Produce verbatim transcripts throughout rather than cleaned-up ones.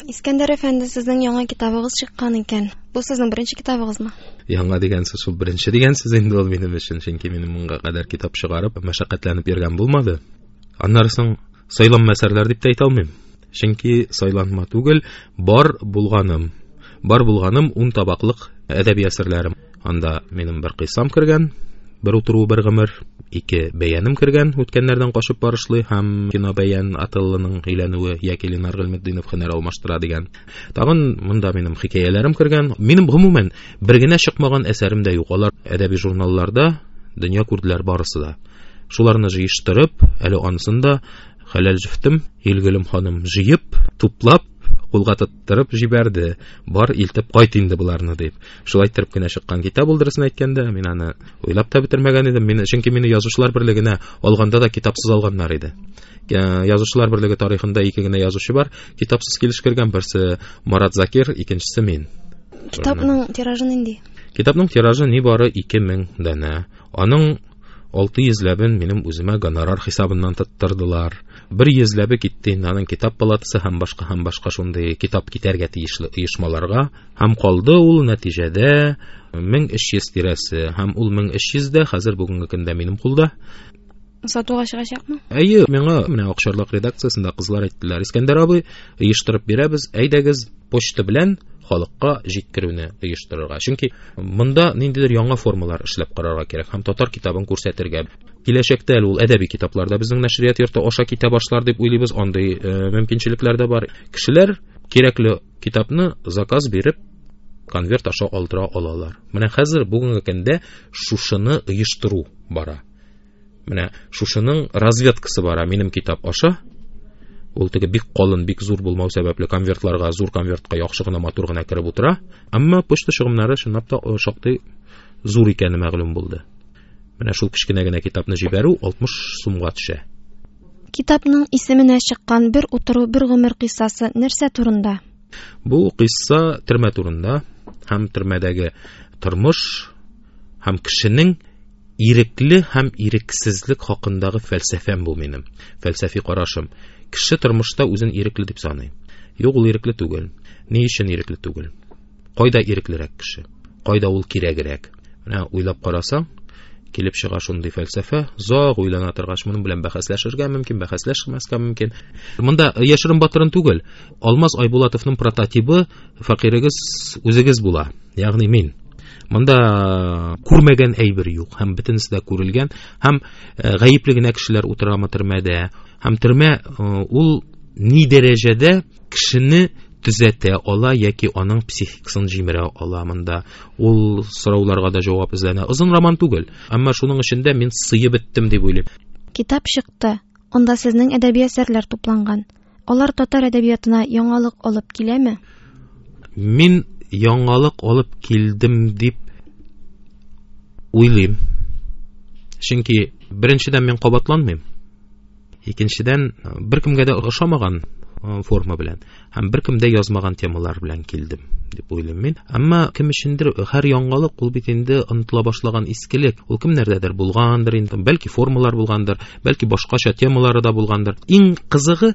Искәндәр әфәнде, сезнең яңа китабыгыз чыккан икән. Бу сезнең беренче китабыгызмы? Яңа дигән сүз шул беренче дигән сүз инде ул минем өчен, чөнки минем моңа кадәр китап чыгарып, мәшәкатьләнеп йөргән булмады. Аннары соң сайланма әсәрләр дип тә әйтә алмыйм. Чөнки сайланма түгел, бар булганым. Бар булганым ун табаклык әдәби әсәрләрем. Анда минем бер кыйссам кергән, бер утыру бер гомер, ике бәяным кергән, үткәннәрдән качып барышлый һәм кино бәян Отеллоның өйләнүе яки Ленар Гыйльметдинов һөнәр алмаштыра дигән. Тагын монда минем хикәяләрем кергән. Минем гомумән бер генә чыкмаган әсәрем дә юк. Алар әдәби журналларда дөнья күрделәр барысы да. Шуларны җыештырып, әле анысын да хәләл җефтем Илгөлем ханым җыеп, туплап, кулга тоттырып җибәрде. Бар илтеп кайт инде боларны дип. Шулай иттереп кенә чыккан китап ул, дөресен әйткәндә, мин аны уйлап та бетермәгән идем. Мин, чөнки мине язучылар берлегенә алганда да китапсыз алганнар иде. Э, Язучылар берлеге тарихында ике генә язучы бар, китапсыз килеш кергән, берсе Марат Закир, икенчесе мин. Китапның тиражы нинди? Китапның тиражы нибары ике мең данә. Аның алты йөзләбен минем үземә гонорар хисабыннан тоттырдылар. Бер йөзләбе китте инде аның китап палатасы һәм башка һәм башка шундый китап китәргә тиешле оешмаларга. Һәм калды ул нәтиҗәдә мең өч йөз тирәсе. Һәм ул мең өч йөз дә хәзер бүгенге көндә минем кулда. Сатуга чыгачакмы? Әйе, миңа менә Акчарлак редакциясендә кызлар әйттеләр. Искәндәр абый, оештырып бирәбез, әйдәгез почта белән халыкка җиткерүне оештырырга. Чөнки монда ниндидер яңа формалар эшләп карарга кирәк һәм татар китабын күрсәтергә. Киләчәктә әле ул әдәби китаплар да безнең нәшрият йорты аша китә башлар дип уйлыйбыз. Андый, э, мөмкинчелекләр дә бар. Кешеләр кирәкле китапны заказ биреп конверт аша алдыра алалар. Менә хәзер бүгенге көндә шушыны оештыру бара. Менә шушының разведкасы бара минем китап аша. Ул теге бик калын, бик зур булмау сәбәпле конвертларга, зур конвертка яхшы гына, матур гына кереп утыра. Әмма почта чыгымнары чынлап та, э, шактый зур икәне мәгълүм булды. Менә шул кечкенә генә китапны җибәрү алтмыш сумга төшә. Китапның исеменә чыккан бер утыру, бер гомер кыйссасы нәрсә турында? Бу кыйсса төрмә турында һәм төрмәдәге тормыш һәм кешенең ирекле һәм ирексезлек хакындагы фәлсәфәм бу минем. Фәлсәфи карашым. Кеше тормышта үзен ирекле дип саный. Юк, ул ирекле түгел. Ни өчен ирекле түгел? Кайда иреклерәк кеше? Кайда ул кирәгрәк? Менә уйлап карасаң, килеп чыга шундый фәлсәфә. Озак уйлана торгач, моның белән бәхәсләшергә мөмкин, бәхәсләшмәскә мөмкин. Монда яшерен батырын түгел. Алмаз Айбулатовның прототибы фәкыйрегез үзегез була, ягъни мин. Монда күрмәгән әйбер юк, һәм бөтенесе дә күрелгән, һәм, э, гаепле генә кешеләр утырамы төрмәдә, һәм төрмә, э, ул ни дәрәҗәдә кешене төзәтә ала яки аның психикасын җимерә ала монда. Ул сорауларга да җавап эзләнә. Озын роман түгел, әмма шуның эчендә мин сыеп беттем дип уйлыйм. Китап чыкты. Анда сезнең әдәби әсәрләр тупланган. Алар татар әдәбиятына яңалык алып киләме? Мин яңалык алып килдем дип уйлыйм. Чөнки беренчедән мин кабатланмыйм. Икенчедән, беркемгә дә ошамаган, э, форма белән һәм беркем дә язмаган темалар белән килдем дип уйлыйм мин. Әмма кем өчендер һәр яңалык ул бит инде онытыла башлаган искелек. Ул кемнәрдәдер булгандыр инде, бәлки формалар булгандыр, бәлки башкача темалары да булгандыр. Иң кызыгы,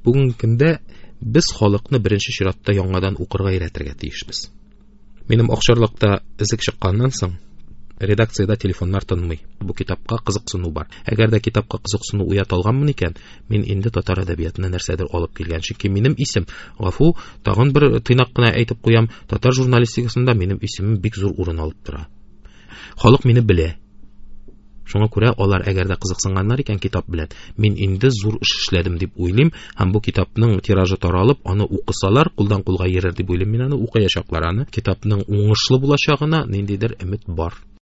бүгенге көндә без халыкны беренче чиратта яңадан укырга өйрәтергә тиешбез. Минем Акчарлакта эзек чыкканнан соң редакциядә телефоннар тынмый. Бу китапка кызыксыну бар. Әгәр дә китапка кызыксыну уята алганмын икән, мин инде татар әдәбиятына нәрсәдер алып килгән. Чөнки минем исем, гафу, тагын бер тыйнак кына әйтеп куям, татар журналистикасында минем исемем бик зур урын алып тора. Халык мине белә. Шуңа күрә алар әгәр дә кызыксынганнар икән китап белән, мин инде зур эш эшләдем дип уйлыйм, һәм бу китапның тиражы таралып, аны укысалар, кулдан кулга йөрер дип уйлыйм, мин аны укыячаклар аны. Китапның уңышлы булачагына ниндидер өмет бар.